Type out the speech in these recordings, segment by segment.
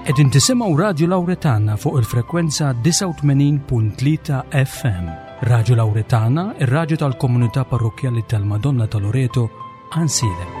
Qegħdin tisimgħu Radju Lawretana fuq il-frekwenza 89.3 FM. Radju Lawretana, ir-radju tal-komunità parrokkjali tal-Madonna ta' Loreto, Ansilem.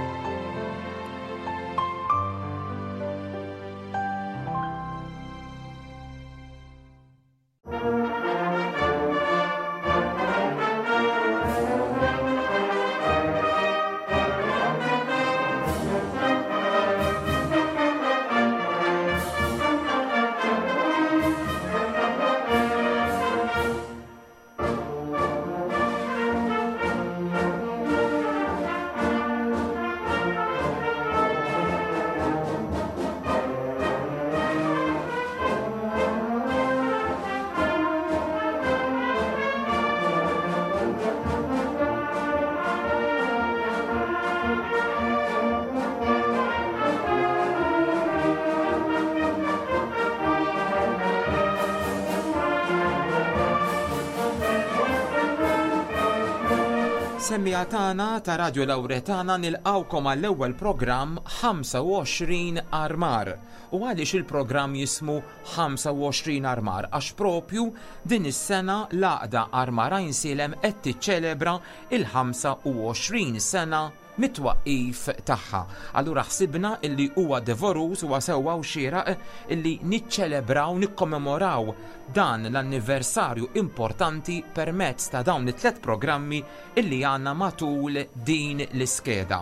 Semmiegħa tagħna ta' Radio Lawretana nilqgħukom għall-ewwel programm 25 Armar. U għaliex il-programm jismu 25 Armar? Għax propju din is-sena l-Għaqda Armar Għajnsielem qed tiċċelebra il-25 sena mit-twaqqif tagħha. Allura ħsibna illi huwa devoruż, huwa sewwa u xieraq illi niċċelebraw, nikkommemoraw dan l-anniversarju importanti permezz ta' dawn it-tlet programmi illi għandna matul din l-iskeda.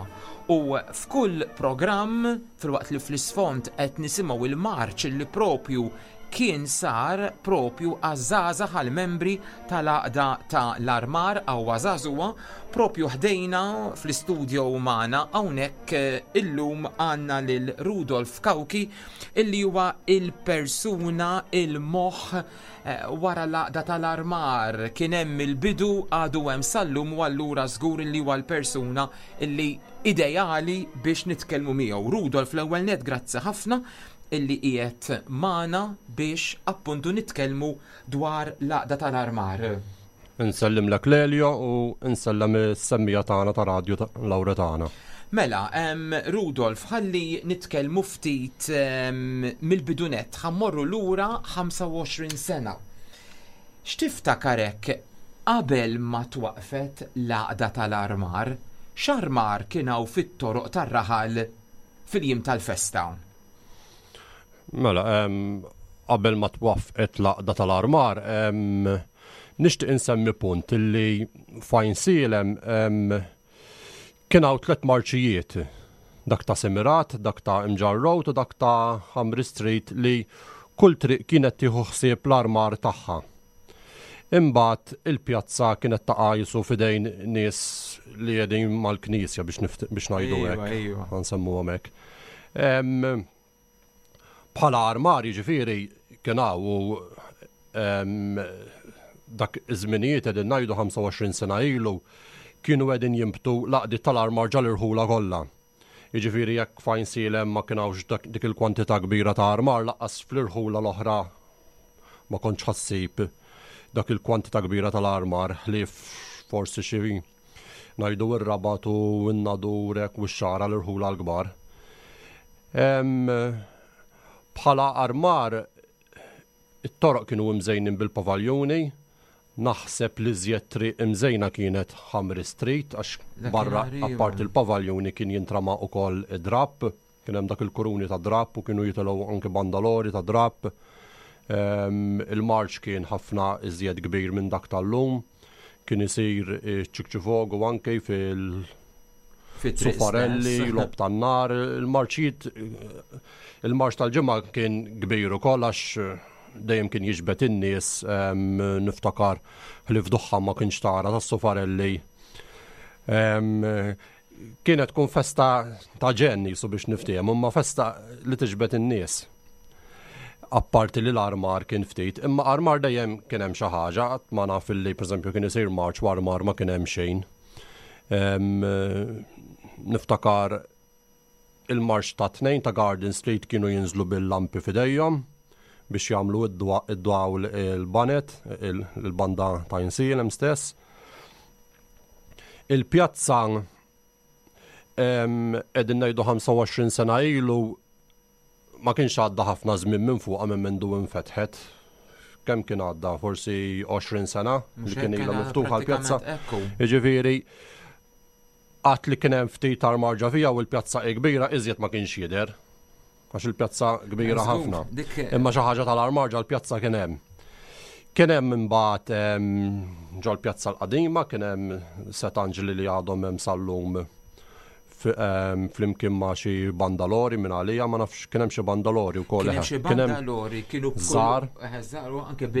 U f'kull programm, filwaqt li fl-isfond qed nisimgħu il-marċ illi propju kien sar propju għaż-żgħażagħ għall-membri tal-Għaqda ta' l-Armar Qawwa Żagħżugħa propju ħdejna fl-istudio magħna hawnhekk illum għandna lil Rudolf Cauchi illi huwa il-persuna il-moħħ wara l-Għaqda tal-Armar kien hemm il-bidu għadu hemm sal-lum u allura żgur illi huwa l-persuna illi ideali biex nitkellmu miegħu. Rudolf l-ewwel nett grazzi ħafna illi qiegħed magħna biex appuntu nitkellmu dwar l-Għaqda tal-Armar. Insellimlek Lelio u nsellem is-semmiegħa tagħna ta' Radju Lawretana. Mela, Rudolf, ħalli nitkellmu ftit mill-bidu nett, ħa mmorru lura 25 sena. X'tiftakar hekk qabel ma twaqqfet l-Għaqda tal-Armar? X'armar kien hawn fit-toroq tar-raħal fil-jiem tal-festa? Mela, qabel ma twaffqet l-għaqda tal-armar, nixtieq insemmi punt li fajn sielem kien hawn tlet marċijiet dak ta' Semirat, dak ta' Imġarr Road u dak ta' Hamri Street li kull triq kienet tieħu ħsieb l-armar tagħha. Imbagħad il-pjazza kienet taqa' jisu f'idejn nies li qegħdin mal-knisja biex biex ngħidu hekk. Ħa nsemmuhom hekk. Bħala armar jiġifieri kien hawn u dak iż-żminijiet qegħdin ngħidu 25 sena ilu kienu qegħdin jinbtu l-għaqdiet tal-armar ġal-irħula kollha. Jiġifieri jekk f'Għajnsielem ma kien hawnx dik il-kwantità kbira ta' armar lanqas fl-irħula l-oħra ma kontx ħa ssib dak il-kwantità kbira tal-armar ħlief forsi xi ngħidu r-Rabat u n-Nadur hekk u x-Xagħra l-irħula l-kbar. Bħala armar It-toroq kienu imżejnin bil-pavaljuni. Naħseb l-iżjed triq imżejna kienet Ħamri Street għax barra apparti l-pavaljuni kien jintrama ukoll id-drapp. Kien hemm dak il-kuruni ta' drapp u kienu jitilgħu anke bandalori ta' drapp. Il-marċ kien ħafna iżjed kbir minn dak tal-lum. Kien isir iċ-ċikċifogu anke fil- Sufarelli, lob tan-nar, il-marċijiet, il-marċ tal-ġimgħa kien kbir ukoll għax dejjem kien jiġbed in-nies niftakar ħlief duħħan ma kienx tara tas-sufarelli. Kienet tkun festa ta' ġenn jisu biex niftehmu, imma festa li tiġbed in-nies. Apparti li l-armar kien ftit, imma armar dejjem kien hemm xi ħaġa, qatt ma naf illi pereżempju kien isir marċ u armar ma kien hemm xejn. Niftakar il-marċ ta' tnejn ta' Garden Street kienu jinżlu bil-lampi f'idejhom biex jagħmlu id-dawl il-banet, il-banda ta' Insielem stess. Il-pjazza qegħdin ngħidu 25 sena ilu. Ma kienx għadda ħafna żmien minn fuqha minn mindu infetħet. Kemm kien għadda? Forsi 20 sena li kien ilha miftuħa l-pjazza. Jiġifieri għad li kien hemm ftit armar ġa fiha u l-pjazza hi kbira iżjed ma kienx jidher. Għax il-pjazza kbira ħafna. Imma xi ħaġa tal-armar ġa l-pjazza kien hemm. Kien hemm imbagħad ġol-pjazza l-qadima kien hemm set anġli li għadhom hemm sal-lum flimkien ma' xi bandalori minn għalija, ma nafx kien hemm xi bandalori wkoll. Kien hemm xi bandalori kienu żgħar,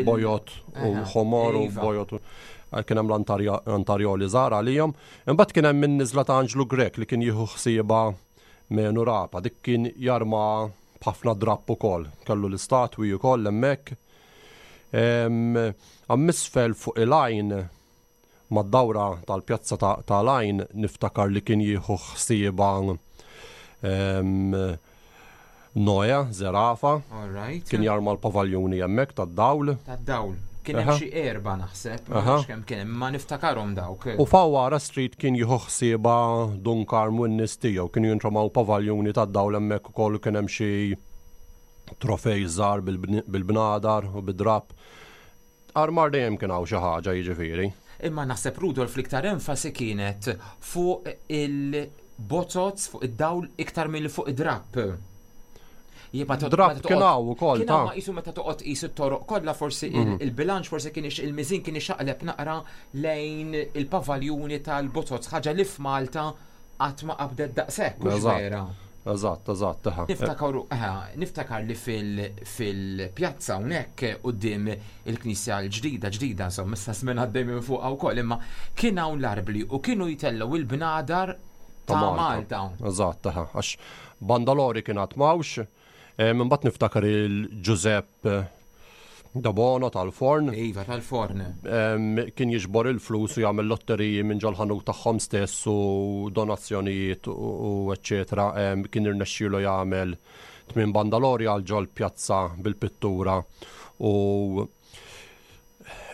bojot u ħomor u iva. bojot. Kien hemm l-antarjoli żgħar għalihom. Imbagħad kien hemm in-niżla ta' Anġlu Grek li kien jieħu ħsieba Menu Rapa, dik kien jarma b'ħafna drapp ukoll. Kellu l-istatwi ukoll hemmhekk. Għammisfel fuq il-għajn mad-dawra tal-pjazza ta' l-Għajn niftakar li kien jieħu ħsiebha Noe, Zerafa. Kien jarma l-pavaljuni hemmhekk tad-dawl. Tad-dawl. Kien hemm xi erba' naħseb, ma nafx kemm kien hemm, ma niftakarhom dawk. U Fawwara Street kien jieħu ħsiebha Dun Karm u n-nies tiegħu, kienu jintramaw pavaljuni tad-dawl hemmhekk ukoll u kien hemm xi trofej żgħar bil-bnadar u bid-drapp. Armar dejjem kien hawn xi ħaġa jiġifieri. Imma naħseb Rudolf l-iktar enfasi kienet fuq il-bozoz, fuq id-dawl iktar milli fuq id-drapp. Drapp kien hawn ukoll. Kien hawn ma qisu meta toqgħod tqis it-toroq kollha forsi mhm. il-bilanċ forsi kien il-miżin kien ixaqleb naqra lejn il-pavaljuni tal-bozoz, ħaġa li f'Malta qatt ma qabdet daqshekk, mhux vera. Eżatt, eżatt, eħe. Niftakar, niftakar li fil-pjazza hawnhekk quddiem il-knisja l-ġdida, ġdida, insomma, issa żmien għaddej minn fuqha wkoll, imma kien hawn l-arbli u kienu jtellgħu il-bnadar ta' Malta. Eżatt, eħe, għax Bandalori kien għad m'hawnx, Imbagħad niftakar il-Ġużepp Dabono tal-forn. Iva, tal-forn. Kien jiġbor il-flus u jagħmel lotteriji minn ġol-ħanut tagħhom stess u donazzjonijiet u eċċetera. Kien irnexxielu jagħmel tmien bandalori għal ġol pjazza bil-pittura u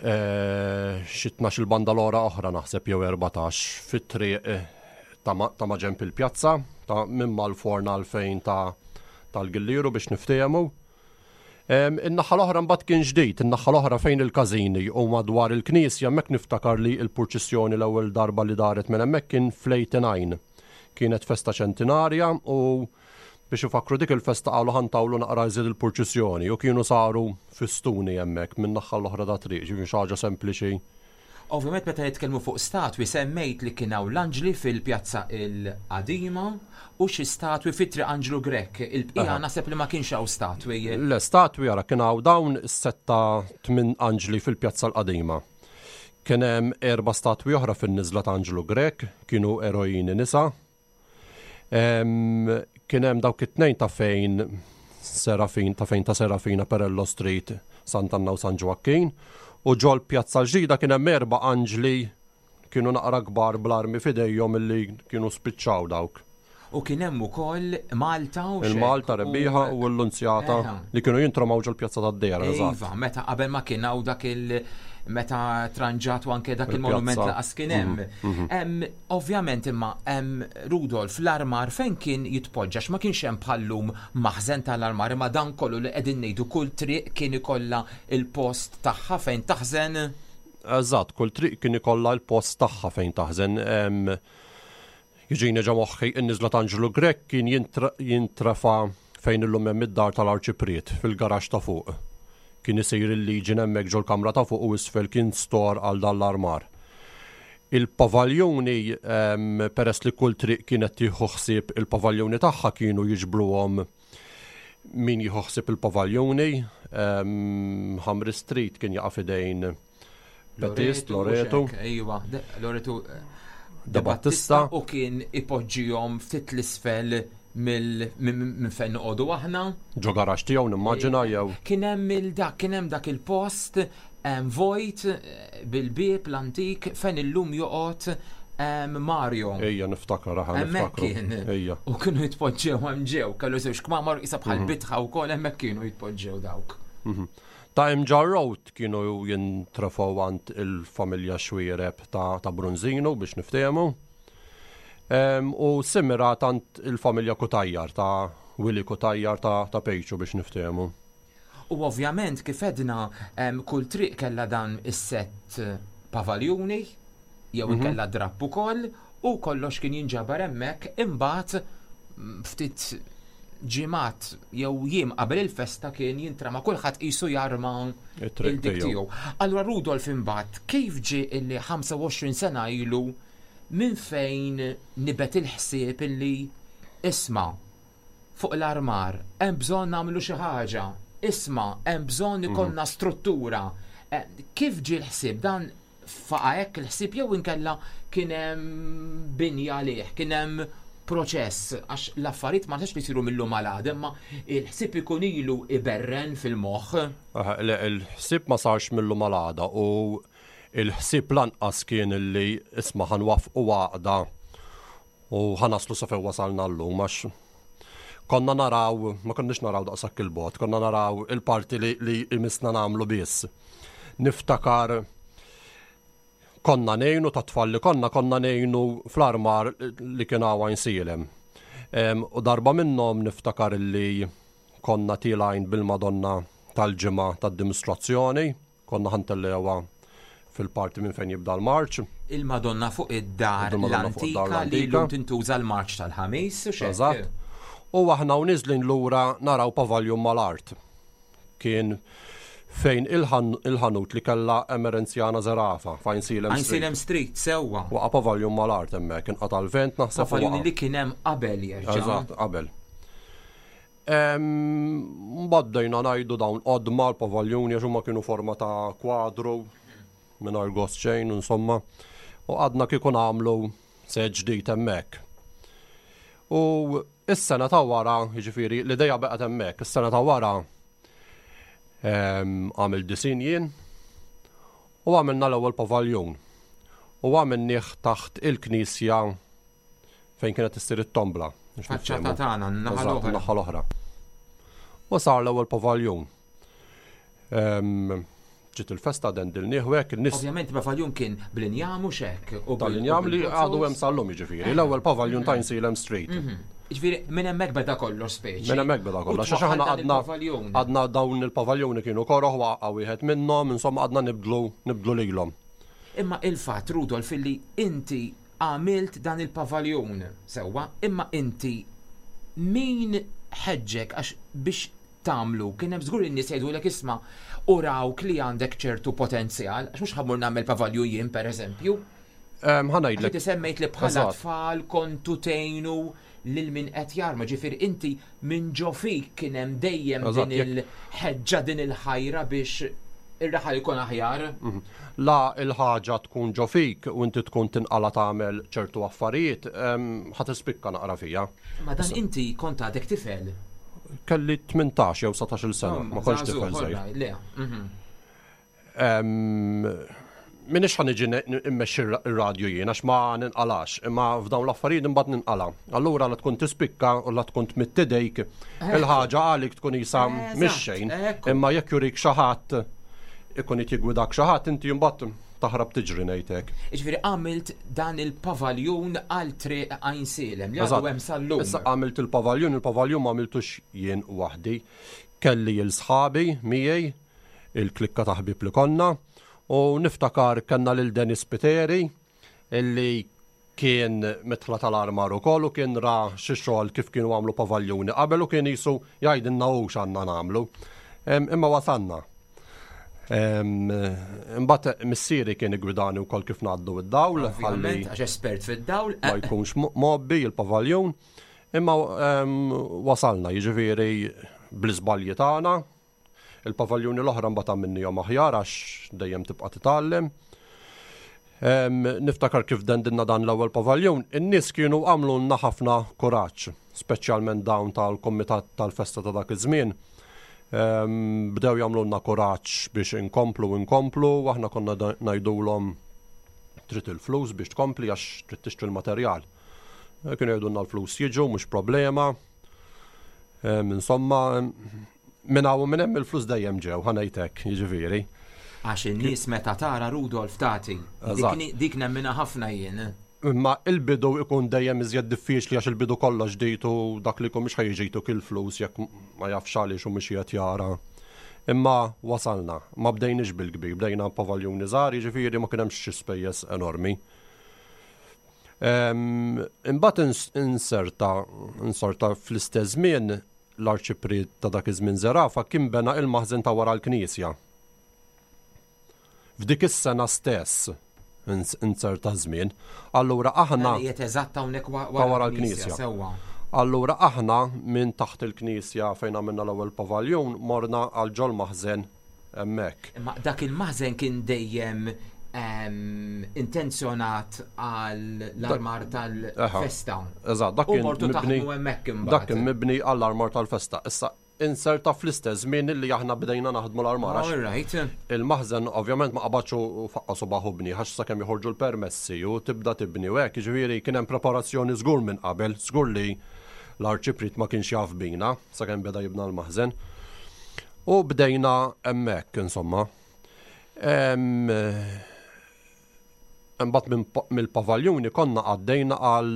eh, xi tnax il-bandalora oħra naħseb jew 14 fit-triq eh, ta' maġenb il-pjazza ta' minn mal-forn għal fejn ta' tal-Gillieru biex niftehmu. In-naħa l-oħra mbagħad kien ġdid, in-naħa l-oħra fejn il-każini u madwar il-knisja hemmhekk niftakar li l-purċissjoni l-ewwel darba li daret minn hemmhekk kien fl-89. Kienet festa ċentinarja u biex ifakkru dik il-festa qalu ħa ntawlu naqra iżjed il-purċissjoni u kienu saru fistuni hemmhekk min-naħa l-oħra tat-triq, ġifieri xi ħaġa sempliċi. Ovvjament meta nitkellmu fuq statwi semmejt li kien hawn l-anġli fil-pjazza l-qadima u xi statwi fi Triq Anġlu Grech. Il-bqija naħseb li ma kienx hawn statwi. Le statwi ara kien hawn dawn is-setta tmien anġli fil-pjazza l-qadima. Kien hemm erba' statwi oħra fin-niżla ta' Anġlu Grech, kienu erojini nisa. Kien hemm dawk it-tnejn ta' fejn Serafin, ta' fejn ta' Serafina Perello Street, Sant'Anna u San Ġwakkin, u ġol Pjazza l-Ġdida kien hemm erba' anġli kienu naqra kbar bl-armi f'idejhom illi kienu spiċċaw dawk. U kien hemm ukoll Malta u Il-Malta rebbieħa u l-Lunzjata li kienu jintramaw ġol-Pjazza tad-Dehra, eżatt. Iva, meta qabel ma kien hawn dak il- meta tranġat u anke dak il-monument laqas kien hemm. Mhm, mhm. Ovvjament imma Rudolf l-armar fejn kien jitpoġġa ma kienx hemm bħallum maħżen tal-armar imma dan kollu li qegħdin ngħidu kull triq kien ikollha il-post tagħha fejn taħżen. Eżatt, kull triq kien ikollha l-post tagħha fejn taħżen. Jiġini ġo moħħi in-niżla ta' Anġlu Grech kien jintrefa' fejn illum hemm id-dar tal-Arċipriet, fil-garaxx ta' fuq. Kien isir il-Legion hemmhekk ġol-kamra ta' fuq u isfel kien store għal dan l-armar. Il-pavaljuni, peress li kull triq kienet tieħu ħsieb il-pavaljuni tagħha kienu jiġbruhom min jieħu ħsieb il-pavaljuni. Ħamri Street kien jaqa' f'idejn Battist, Loreto. Ejwa, Loreto eh, De Battista. U kien ipoġġihom ftit l-isfel minn fejn noqogħdu aħna. Ġo garax tiegħu nimmaġina jew. Kien hemm il-dak, kien hemm dak il-post vojt eh, bil-bieb l-antik fejn illum joqgħod Mario. Ejja, niftakar, aħna niftakru. Kien. Ejja. U kienu jitpoġġew hemm ġew, kellu żewġ kmamar isa bħal mhm. bitħa wkoll hemmhekk kienu jitpoġġew dawk. Mhm. Ta' Imġarr Road kienu jintrefgħu għand il-familja Xuereb ta' ta' Brunzinu biex niftehmu. U Simirat għand il-familja Cutajar ta' Willy Cutajar ta' Pejċu biex niftehmu. U ovvjament kif għedna kull triq kellha dan is-sett pavaljuni jew mhm. inkella drapp ukoll u kollox kien jinġabar hemmhekk imbagħad ftit ġimgħat jew jiem qabel il-festa kien jintrama kulħadd qisu jarma il-dik tiegħu. Allura Rudolf imbagħad kif ġie illi 25 sena ilu minn fejn nibet il-ħsieb illi isma' fuq l-armar, hemm bżonn nagħmlu xi ħaġa, isma' hemm bżonn mhm. ikollna struttura. Eh, kif ġie l-ħsieb dan faqa' hekk il-ħsieb jew inkella kien hemm binja għalih, kien hemm proċess għax l-affarijiet ma nistax li jsiru mill-lum għal għada, imma il-ħsieb ikun ilu iberren fil-moħħ. Le, il-ħsieb ma sarx mill-lum għal għada u il-ħsieb lanqas kien li isma' ħa nwaffqu għaqda U ħa naslu sa fejn wasalna llum għax konna naraw, ma konniex naraw daqshekk il-bogħod, konna naraw il-parti li, li imissna nagħmlu biss. Niftakar konna nejnu ta' tfal li konna konna nejnu fl-armar li kien hawn Għajnsielem. U darba minnhom niftakar li konna tilajn bil-Madonna tal-ġimgħa tad-dimostrazzjoni Konna ħa ntellgħuha fil-parti minn fejn jibda l-marċ. Il-Madonna fuq id-dar l-antika li llum tintuża l-marċ tal-Ħamis. Eżatt. U aħna u niżlin lura naraw pavaljun mal-art. Kien fejn il-ħanut li kellha Emerenzjana Zerafa, f'Għajnsielem Street. Għajnsielem Street, sewwa. Waqa' pavaljun mal-art hemmhekk, inqata' l-vent naħseb. Pavaljun li kien hemm qabel jerġa'. Eżatt, qabel. Mbagħad bdejna ngħidu dawn qodma l-pavaljuni għax huma kienu forma ta' kwadru mingħajr gost xejn insomma. U għadna kieku nagħmlu set ġdid hemmhekk. U is-sena ta' wara, jiġifieri l-idea baqgħet hemmhekk, is-sena ta' wara għamil disin jien u għamilna l-ewwel pavaljun. U għamilnieh taħt il-knisja fejn kienet issir it-tombla. Faċċata tagħna, n-naħa l-oħra. Naħa l-oħra. U sar l-ewwel pavaljun. Ġiet il-festa dendilnieh u hekk in-nies. Ovvjament pavaljun kien bl-injam u xek. Tal-injam li għadu hemm sal-lum jiġifieri. L-ewwel pavaljun ta' Insilem Street. Mhm. Ġifieri minn hemmhekk beda kollox speċi. Minn hemmhekk beda kollox. Għax aħna għadna għadna dawn il-pavaljuni kienu koroħ waqa' wieħed minnhom, insomma għadna nibdlu nibdlu lilhom. Imma il-fatt Rudolf illi inti Għamilt dan il-pavaljun, sewwa, imma inti min ħeġġek għax biex tagħmlu kien hemm żgur in-nies jgħidulek isma' u rawk li għandek ċertu potenzjal, għax mhux ħa mmur nagħmel pavaljun jien pereżempju. Ħa ngħidlek. Inti semmejt li bħala tfal kontu tgħinu lil min qed jarma, ġifieri inti minn ġo fik kien hemm dejjem din il-ħeġġa din il-ħajra biex ir-raħal ikun aħjar. Mhm. La il-ħaġa tkun ġo fik u inti tkun tinqala tagħmel ċertu affarijiet, ħa tispikka naqra fija. Ma dan inti kont għadek tifel. Kelli 18 jew 19-il sena, ma kontx tifel żgħir. Mhm. Minix ħa niġi immexxi r-radju jien għax ma ninqalax, imma f'dawn l-affarijiet imbagħad ninqala. Allura la tkun tispikka u la tkun tmidd idejk, il-ħaġa għalik tkun isa mhix xejn. Imma jekk jurik xi ħadd ikun qed jiggwidak xi ħadd inti mbagħad taħrab tiġri ngħidlek. Jiġifieri għamilt dan il-pavaljun għal triq Għajnsielem li għadu hemm sal-lum. Issa għamilt il-pavaljun, il-pavaljun ma għamiltux jien waħdi. Kelli 'l sħabi miegħi il-klikka ta' ħbieb li konna u niftakar kellna lil Dennis Piteri illi kien mitħla tal-armar ukoll u kien ra xi xogħol kif kienu għamlu pavaljuni qabel u kien jisu jgħidilna hu x'għandna nagħmlu. Imma wasalna. Imbagħad missieri kien igwidani wkoll kif ngħaddu id-dawl. Ovvjament, għax espert fid-dawl. Ma jkunx mobbi il-pavaljun. Imma wasalna, jiġifieri bl-iżbalji tagħna, Il-pavaljuni l-oħra mbagħad għamilnihom aħjar għax dejjem tibqa' titgħallem. Niftakar kif dendinna dan l-ewwel pavaljun, in-nies kienu għamlulna ħafna kuraġġ, speċjalment dawn tal-kumitat tal-festa ta' dak iż-żmien. Bdew jagħmlulna kuraġġ biex inkomplu inkomplu, aħna konna ngħidulhom trid il-flus biex tkompli għax trid tixtri l-materjal. Kienu jgħidulna l-flus jiġu, mhux problema. Insomma, minn hawn u minn hemm il-flus dejjem ġew, ħa ngħid hekk, jiġifieri. Għax in-nies meta tara Rudolf tagħti. Dik nemminha ħafna jien. Imma il-bidu ikun dejjem iżjed diffiċli għax il-bidu kollox ġdid u dak li jkun mhux ħa jiġi jtuk il-flus jekk ma jafx għaliex u mhux qiegħed jara. Imma wasalna, ma bdejniex bil-kbir, bdejna pavaljuni żgħar, jiġifieri ma kien hemmx xi spejjeż enormi. Imbagħad inserta insorta fl-istess żmien l-arċipriet ta' dak iż-żmien Zerafa kien bena il-maħżen ta' wara l-knisja. F'dik is-sena stess, inzerta żmien, allura aħna. Qiegħed eżatt hawnhekk wara l-knisja. Sewwa. Allura aħna minn taħt il-knisja fejn għamilna l-ewwel pavaljun morna għal ġol maħżen hemmhekk. Imma dak il-maħżen kien dejjem ehm, intenzjonat għal l-armar tal-festa. Eżatt, dak kien mibni. Dak kien mibni għall-armar tal-festa. Issa inserta fl-istess żmien li aħna bdejna naħdmu l-armar. All right. Il-maħżen ovvjament ma qabadx u faqqa subaħ u bni, għax sakemm joħorġu l-permessi u tibda tibni u hekk, jiġifieri kien hemm preparazzjoni żgur minn qabel, żgur li l-arċipriet ma kienx jaf bina sakemm beda jibna l-maħżen. U bdejna hemmhekk insomma. Imbagħad mill-pavaljuni konna għaddejna għal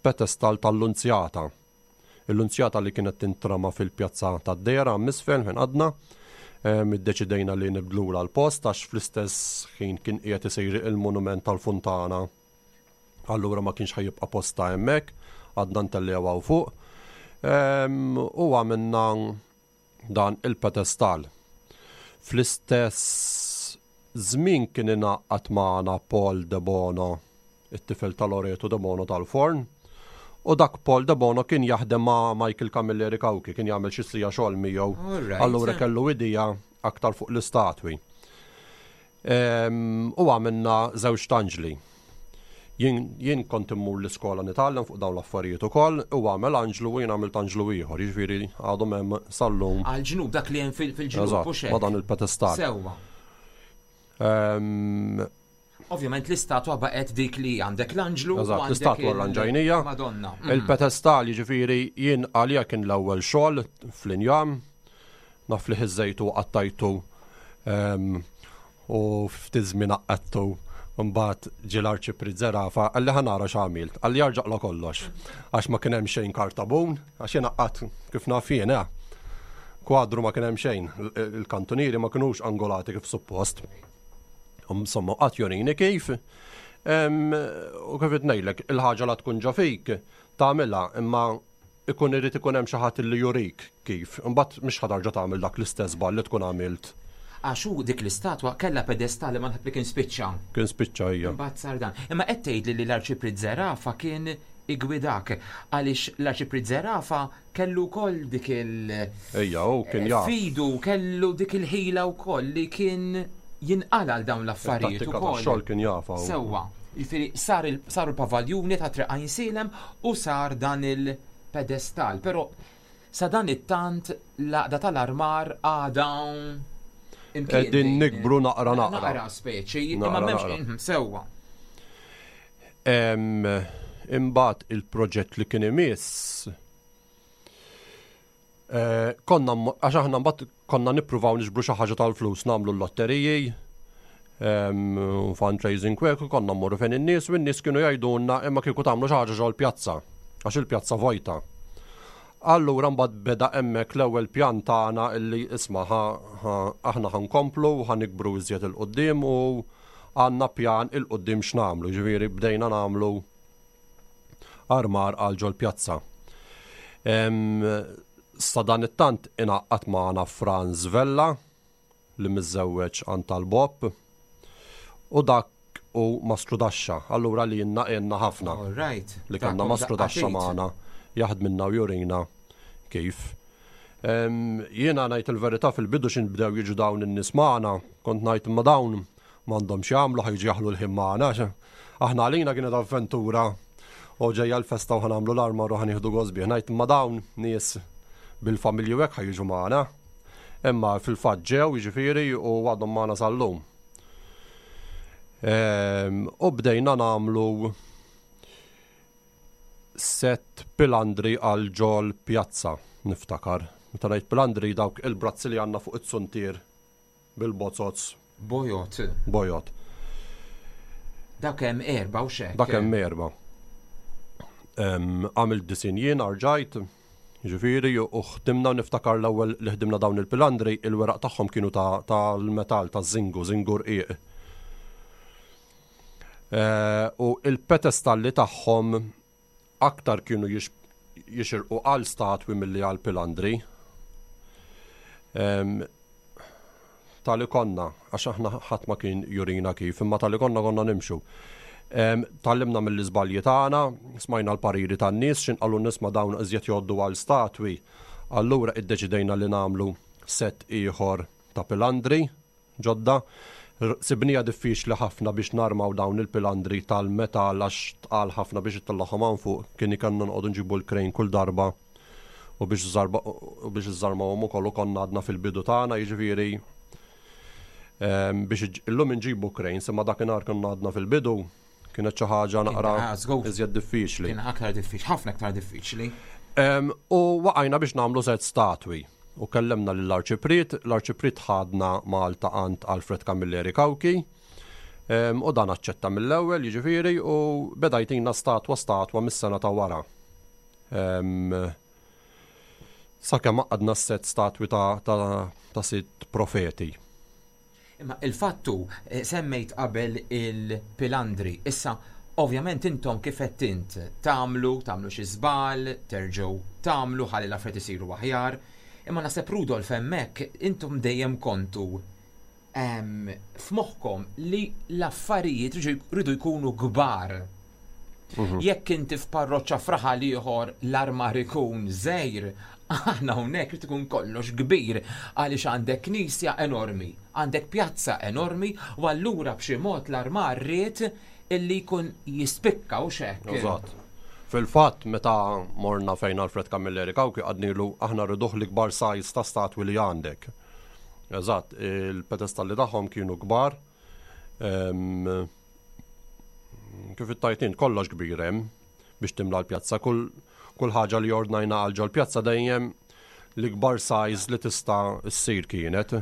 pedestal tal-Lunzjata. Il-Lunzjata li kienet tintrama fil-pjazza tad-Dehra hemm isfel fejn qgħadna. Iddeċidejna li nibdlulha l-post għax fl-istess ħin kien qiegħed isir il-monument tal-funtana. Allura ma kienx ħa jibqa' postha hemmhekk, għadna ntellgħu hawn fuq. U għamilna dan il-pedestal. Fl-istess żmien kien ingħaqad magħna Paul Debono, it-tifel ta' Loreto Debono tal-Forn, u dak Paul Debono kien jaħdem ma' Michael Camilleri Cauchi, kien jagħmel xi siegħa xogħol miegħu, allura kellu idea aktar fuq l-istatwi. U għamilna żewġ anġli. Jien kont immur l-iskola nitgħallem fuq dawn l-affarijiet ukoll, u għamel anġlu u jien għamilt anġlu ieħor, jiġifieri għadhom hemm sal-lum. Għall-ġnub, dak li hemm fil-ġnub, hux hekk? Ma' dan il-pedestal. Sewwa. Ovvjament l-istatwa baqgħet dik li għandek l-anġlu. Eżatt, l-istatwa l-anġajnija. Madonna. Il-pedestal jiġifieri jien għalija kien l-ewwel xogħol fl-injam. Naf li ħiżżejtu u qattajtu u ftit żmien għaqqadtu. Mbagħad ġie l-Arċipriet Zerafa qalli ħa nara x'għamilt. Qalli arġa' kollox. Għax ma kien hemm xejn kartabun, għax jien għaqqadt kif naf jien, eh. Kwadru ma kien hemm xejn, il-kantunieri ma kinux angolati kif suppost. Insomma, qatt jorini kif. U kif qed ngħidlek, il-ħaġa la tkun ġo fik, tagħmilha, imma ikun irid ikun hemm xi ħadd li jurik kif. Imbagħad mhix ħa tarġa' tagħmel dak l-istess żball li tkun għamilt. Għax hu dik l-istatwa kellha pedestal imma naħseb li kien spiċċa. Kien spiċċa hija. Imbagħad sar dan. Imma qed tgħidli li l-Arċipriet Zerafa kien iggwidak għaliex l-Arċipriet Zerafa kellu wkoll dik il- Ejja, hu kien jaf. Fidu kellu dik il-ħila wkoll li kien jinqala' għal dawn l-affarijiet ukoll. It-tattika tax-xogħol kien jafha hu. Sewwa. Jiġifieri sar saru l-pavaljuni ta' Triq Għajnsielem u sar dan il-pedestal. Però sa dan it-tant l-għaqda tal-armar għadha imkien. Qegħdin nikbru naqra naqra. Naqra speċi, imma m'hemmx sewwa. Imbagħad il-proġett li kien imiss Eh, konna, għax aħna mbagħad konna nippruvaw niġbru xi ħaġa tal-flus, nagħmlu l-lotteriji, fundraising kwek, konna mmorru fejn in-nies u n-nies kienu jgħidulna imma kieku tagħmlu xi ħaġa ġol-pjazza, għax il-pjazza vojta. Allura mbagħad beda hemmhekk l-ewwel pjan tagħna illi isma' aħna ħankomplu u ħanikbru iżjed il-qudiem u għandna pjan il-qudiem x'nagħmlu, ġifieri bdejna nagħmlu armar għal ġol-pjazza. Sadanittant ingħaqad magħna Franz Vella li miżżewweġ għand tal-Bob u dak u Mastru Daxxa. Allura li jenna għenna ħafna. Li kellna Mastru Daxxa magħna jaħdminna u jurina kif. Jiena ngħid il-verità fil-bidu x'in bdew jiġu dawn in-nies magħna, kont ngħid imma dawn M'għandhom x'jagħmlu ħa jiġu jaħlu l-ħin magħna għax aħna għalina kienet avventura u ġejja l-festa u ħa nagħmlu l-armar u ħa nieħdu gost bih. Ngħid imma dawn nies bil-familji u hekk ħa jiġu magħna. Imma fil-fatt ġew jiġifieri u għadhom magħna sal-lum. Ehm, u bdejna nagħmlu sett pilandri għal ġol pjazza, niftakar. Meta ngħid pilandri dawk il-brazzi li għandna fuq it-suntier bil-bozoz. Bojod. Bojod. Dak hemm erba' u xek. Dak hemm erba'. Għamilt disin jien arġajt, ġifieri, u ħdimna niftakar l-ewwel li ħdimna dawn il-pilandri, il-weraq tagħhom kienu tal-metall, taż-żingu, żingu rqiq. Eh, u il-petestalli tagħhom aktar kienu jixirqu għal statwi milli għal pilandri. Tali konna, għax aħna ħadd ma kien jurina kif, imma tali konna konna nimxu. Tgħallimna mill-iżbalji tagħna, smajna l-pariri tan-nies, x'in qalu n-nies ma dawn iżjed jgħoddu għal statwi. Allura iddeċidejna li nagħmlu set ieħor ta' pilandri ġodda. Sibniha diffiċli ħafna biex narmaw dawn il-pilandri tal-metall għax tqal ħafna biex ittellagħhom hawn fuq, kien ikellna noqogħdu nġibu l-crane kull darba u biex u biex iżżarmawhom ukoll u konna għadna fil-bidu tagħna, jiġifieri ehm, biex illum inġibu cranes imma dakinhar konna għadna fil-bidu kienet xi ħaġa naqra iżjed diffiċli. Kien aktar diffiċli, ħafna aktar diffiċli. U waqajna biex nagħmlu set statwi u kellemna lill-Arċipriet, l-Arċipriet ħadna Malta għand Alfred Camilleri Cauchi u dan aċċetta mill-ewwel, jiġifieri, u beda jtina statwa statwa mis-sena ta' wara. Sakemm għaqqadna s-set statwi ta' sitt profeti. Imma il-fatt hu, semmejt qabel il-pilandri, issa ovvjament intom kif għedt int, tagħmlu, tagħmlu xi żball, terġgħu tagħmlu ħalli l-affarijiet isiru aħjar, imma naħseb Rudolf hemmhekk intom dejjem kontu f'moħħkom li l-affarijiet rridu jkunu kbar. Mhm. Jekk inti f'parroċċa f'raħal ieħor l-armar ikun żgħir, aħna hawnhekk irid ikun kollox kbir għaliex għandek knisja enormi, għandek pjazza enormi u allura b'xi mod l-armar ried illi jkun jispikka u xek. Eżatt. Fil-fatt, meta morna fejn Alfred Camilleri Cauchi għadnilu aħna rriduh l-ikbar size ta' statwi li għandek. Eżatt, il-pedestalli tagħhom kienu kbar. Kif ittajt int kollox kbir hemm biex timla l-pjazza. Kull, kull ħaġa li ordnajna għal ġol-pjazza dejjem l-ikbar size li tista' ssir kienet.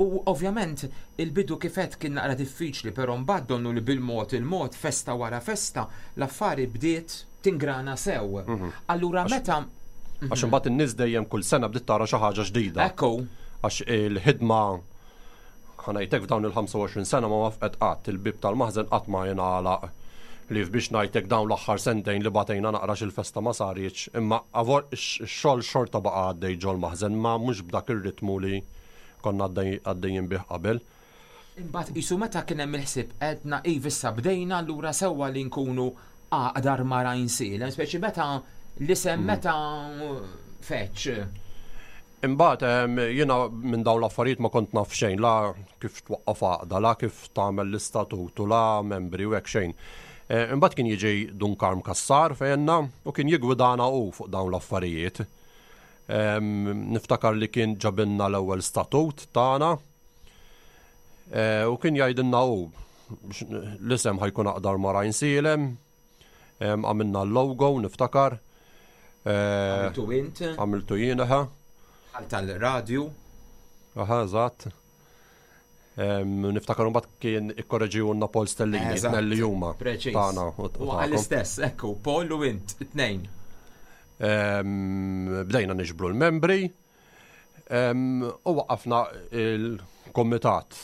U ovvjament il-bidu kif għedt kien naqra diffiċli, però mbagħad donnu li bil-mod il-mod, festa wara festa, l-affari bdiet tingrana sew. Mhm. Allura meta Għax imbagħad in-nies dejjem kull sena bdiet tara xi ħaġa ġdida. Ekku. Għax il-ħidma Ħa ngħidlek f'dawn il-25 sena ma wafqet qatt, il-bieb tal-maħżen qatt ma ingħalaq. Ħlief biex ngħidlek dawn l-aħħar sentejn li batejna naqra x'il-festa ma saritx, imma ix-xogħol xorta baqa' għaddej ġol-maħżen ma mhux b'dak ir-ritmu li konna għaddejjin bih qabel. Imbagħad qisu meta kien hemm il-ħsieb għedna iva issa bdejna allura sewwa li nkunu għaqda armar Għajnsielem, speċi meta l-isem meta feġġ. Imbagħad jiena minn dawn l-affarijiet ma kont naf xejn, la kif twaqqaf għaqda, la kif tagħmel l-istatut u la membri u hekk xejn. Eh, imbagħad kien jiġi Dun Karm Cassar fejna u kien jiggwidana hu fuq dawn l-affarijiet. Niftakar li kien ġabilna l-ewwel statut tagħna eh, u kien jgħidilna hu l-isem ħajkun aqdar ma' Għajnsielem, Għamilna l-logo, niftakar. Eh, Għamiltu int? Għamiltu jien, aha. Bħal tal-radju? Aha, eżatt. Niftakar mbagħad kien ikkoreġiwna Paul Stellini, tnejn li huma. Preċiż. Tagħna. U għall-istess, ekku, Paul u int, it-tnejn. Bdejna niġbru l-membri, U waqqafna il-kumitat.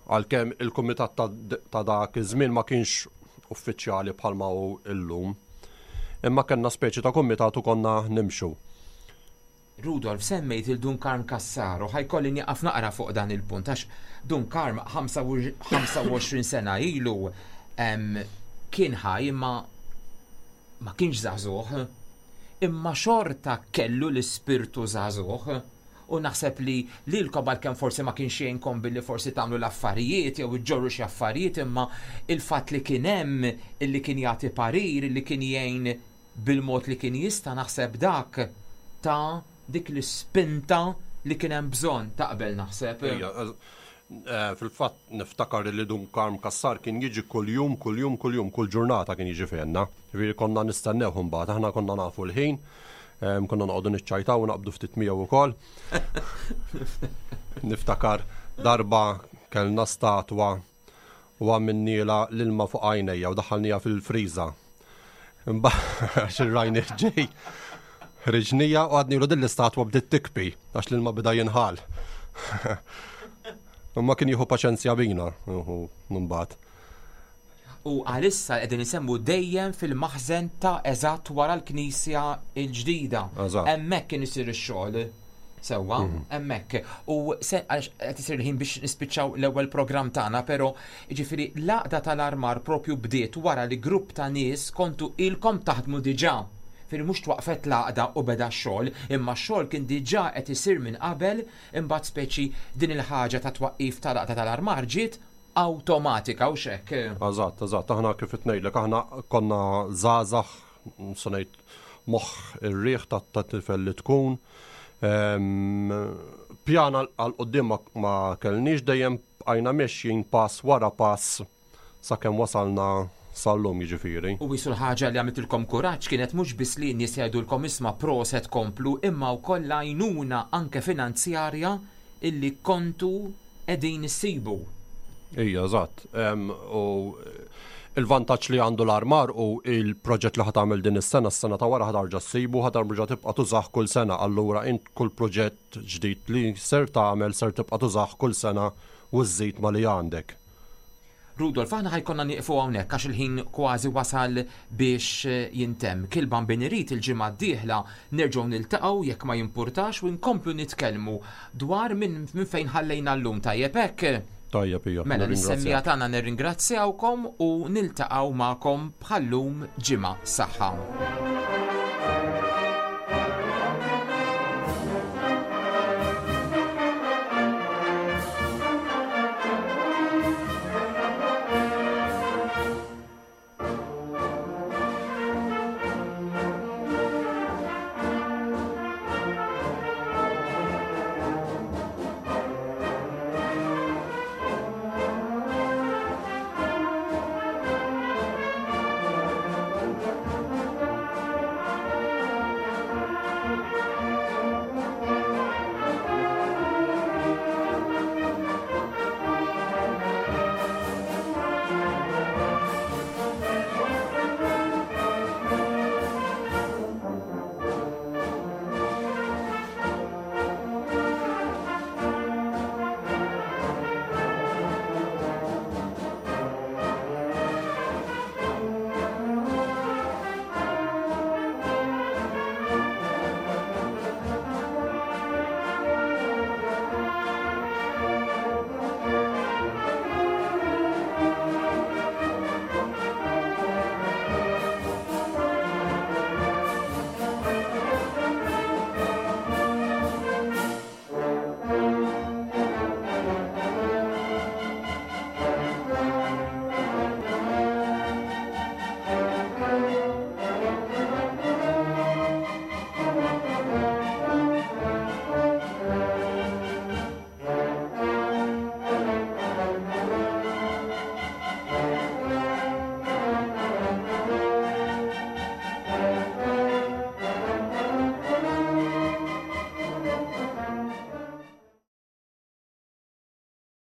Għalkemm il-kumitat ta' dak iż-żmien ma kienx uffiċjali bħalma hu illum. Imma kellna speċi ta' kumitat u konna nimxu. Rudolf, semmejt il Dun Karm Cassar u ħajkolli nieqaf naqra fuq dan il-punt għax Dun Karm 25 sena ilu kien ħaj imma ma kienx żagħżugħ. Imma xorta kellu l-ispirtu żagħżugħ. U naħseb li lilkom għalkemm forsi ma kienx jgħinkom billi forsi tagħmlu l-affarijiet jew iġġorru xi affarijiet imma il-fatt li kien hemm illi kien jagħti parir, illi kien jgħin bil-mod li kien jista' naħseb dak ta dik l-ispinta li kien hemm bżonn, taqbel naħseb? Ejja, fil-fatt niftakar li Dun Karm Cassar kien jiġi kuljum, kuljum, kuljum, kull ġurnata kien jiġi fejna. Ġifieri konna nistennewh imbagħad, aħna konna nafu l-ħin, konna noqogħdu niċċajtaw u naqbdu ftit miegħu wkoll. Niftakar darba kellna statwa. U għamilnielha l-ilma fuq għajnejja u daħħalniha fil-friża. Għax ir-rajni ġej. Ħriġnija u għadnilu din l-istatwa bdiet tikbi għax l-ilma bida jinħal. Imma kien jieħu paċenzja bina, mbagħad. U għalissa qegħdin isemmu dejjem fil-maħżen ta' eżatt wara l-knisja l-ġdida. Hemmhekk kien isir ix-xogħol. Sewwa, mhm. hemmhekk. U se għax qed isir il-ħin biex nispiċċaw l-ewwel programm tagħna, però jiġifieri l-għaqda tal-armar propju bdiet wara li grupp ta' nies kontu ilkom taħdmu diġà. Firri mhux twaqfet l-għaqda u beda x-xogħol, imma x-xogħol kien diġà qed isir minn qabel, imbagħad speċi din il-ħaġa ta' twaqqif tal-għaqda tal-armar ġiet awtomatika u x'hekk. Eżatt, eżatt, aħna kif qed ngħidlek aħna konna żgħażagħ se ngħid moħħ ir-riħ ta' tifel li tkun. Pjan għal quddiem ma kellniex dejjem bqajna mexjin pass wara pass sakemm wasalna sal-lum jiġifieri. U qisu l-ħaġa li għamlitilkom kuraġġ kienet mhux biss li n-nies jgħidulkom isma' proset komplu imma wkoll l-għajnuna anke finanzjarja illi kontu qegħdin issibu. Ija, eżatt. U il-vantaġġ li għandu l-armar u il-proġett li ħa tagħmel din is-sena, s-sena ta' wara ħa tarġa' ssibu, ħa tarġa' tibqa' tużah kull sena. Allura int kull proġett ġdid li ser tagħmel ser tibqa' tużah kull sena u żżid ma' li għandek. Rudolf, aħna ħa jkollna nieqfu hawnhekk għax il-ħin kważi wasal biex jintemm. Kilban bin irid il-ġimgħa d-dieħla nerġgħu niltaqgħu jekk ma jimpurtax u nkomplu nitkellmu dwar minn fejn ħallejna llum. Tajjeb hekk? Tajjeb hija. Mela lis-semmiegħa tagħna nirringrazzjawkom u niltaqgħu magħkom bħal-lum ġimgħa. Saħħa.